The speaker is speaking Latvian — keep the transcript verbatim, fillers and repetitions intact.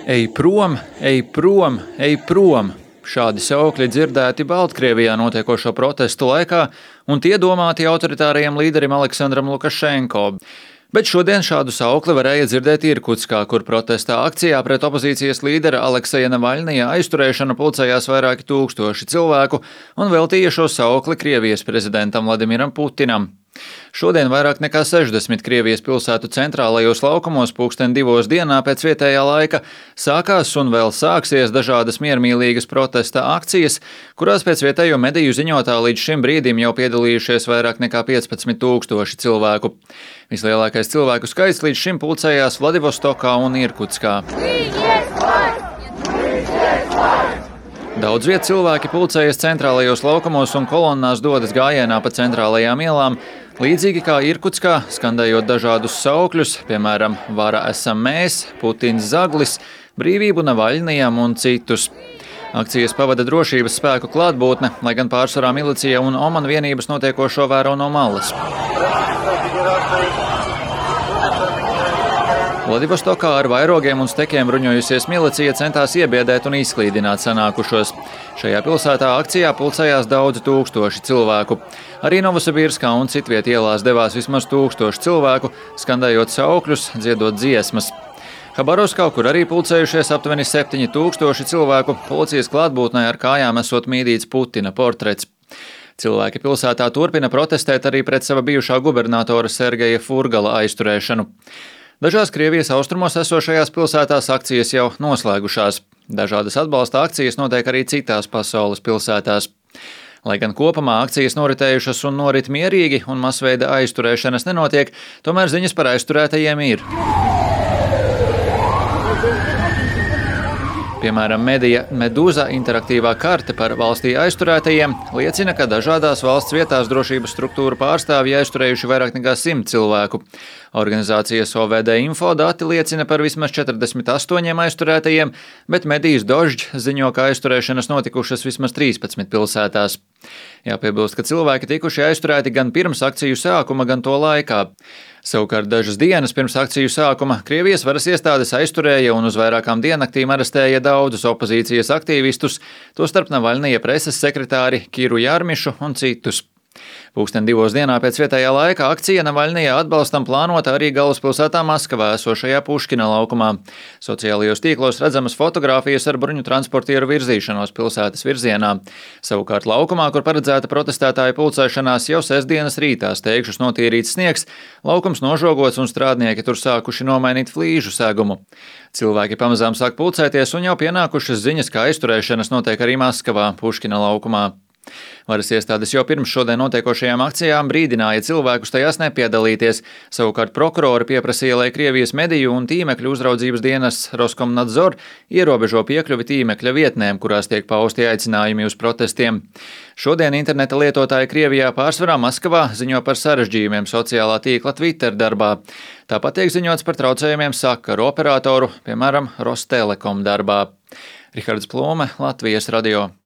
Ej prom, ej prom, ej prom! Šādi saukļi dzirdēti Baltkrievijā notiekošo protestu laikā, un tie domāti autoritārajam līderim Aleksandram Lukašenko. Bet šodien šādu saukli varēja dzirdēt Irkutskā, kur protestā akcijā pret opozīcijas līdera Alekseja Navaļnija aizturēšanu pulcējās vairāki tūkstoši cilvēku un veltīja šo saukli Krievijas prezidentam Vladimiram Putinam. Šodien vairāk nekā sešdesmit Krievijas pilsētu centrālajos laukumos pulksten divos dienā pēc vietējā laika sākās un vēl sāksies dažādas miermīlīgas protesta akcijas, kurās pēc vietējo mediju ziņotā līdz šim brīdim jau piedalījušies vairāk nekā piecpadsmit tūkstoši cilvēku. Vislielākais cilvēku skaits līdz šim pulcējās Vladivostokā un Irkutskā. Daudz viet cilvēki pulcējas centrālajos laukumos un kolonnās dodas gājienā pa centrālajām ielām, līdzīgi kā Irkutskā, skandējot dažādus saukļus, piemēram, vara esam mēs, Putins zaglis, brīvību Navaļnijam un citus. Akcijas pavada drošības spēku klātbūtne, lai gan pārsvarā milicija un Oman vienības notiekošo vēro no malas. Vladivostokā ar vairogiem un stekiem bruņojusies milicija centās iebiedēt un izklīdināt sanākušos. Šajā pilsētā akcijā pulcējās daudzi tūkstoši cilvēku. Arī Novosibirskā un citviet ielās devās vismaz tūkstoši cilvēku, skandējot saukļus, dziedot dziesmas. Habarovskā, kur arī pulcējušies aptuveni septiņi tūkstoši cilvēku, policijas klātbūtnē ar kājām esot mīdīts Putina portrets. Cilvēki pilsētā turpina protestēt arī pret sava bijušā gubernatora Sergeja Furgala aizturēšanu. Dažās Krievijas austrumos esošajās pilsētās akcijas jau noslēgušās. Dažādas atbalsta akcijas notiek arī citās pasaules pilsētās. Lai gan kopumā akcijas noritējušas un norit mierīgi un masveida aizturēšanas nenotiek, tomēr ziņas par aizturētajiem ir. Piemēram, medija Meduza interaktīvā karte par valstī aizturētajiem liecina, ka dažādās valsts vietās drošības struktūru pārstāvji aizturējuši vairāk nekā simt cilvēku. Organizācijas O V D info dati liecina par vismaz četrdesmit astoņiem aizturētajiem, bet medijas Dožd ziņo, ka aizturēšanas notikušas vismaz trīspadsmit pilsētās. Jāpiebilst, ka cilvēki tikuši aizturēti gan pirms akciju sākuma, gan to laikā. Savukārt dažas dienas pirms akciju sākuma Krievijas varas iestādes aizturēja un uz vairākām diennaktīm arestēja daudzus opozīcijas aktīvistus, tostarp Navaļnija preses sekretāri Kiru Jarmišu un citus. Pūksteni divos dienā pēc vietējā laika akcija Navaļnija atbalstam plānota arī galvaspilsētā Maskavā esošajā Puškina laukumā. Sociālajos tīklos redzamas fotogrāfijas ar bruņu transportieru virzīšanos pilsētas virzienā. Savukārt laukumā, kur paredzēta protestētāju pulcēšanās, jau sestdienas rītā steigšus notīrīts sniegs, laukums nožogots un strādnieki tur sākuši nomainīt flīžu segumu. Cilvēki pamazām sāk pulcēties un jau pienākušas ziņas, ka aizturēšanas notiek arī Maskavā, Puškina laukumā. Varas iestādes jau pirms šodien notiekošajām akcijām brīdināja cilvēkus tajās nepiedalīties. Savukārt prokurori pieprasīja, lai Krievijas mediju un tīmekļu uzraudzības dienas Roskomnadzor ierobežo piekļuvi tīmekļa vietnēm, kurās tiek pausti aicinājumi uz protestiem. Šodien interneta lietotāji Krievijā pārsvarā Maskavā ziņo par sarežģījumiem sociālā tīkla Twitter darbā. Tāpat tiek ziņots par traucējumiem sakaru operatoru, piemēram, Rostelekom darbā. Rihards Plūme, Latvijas radio.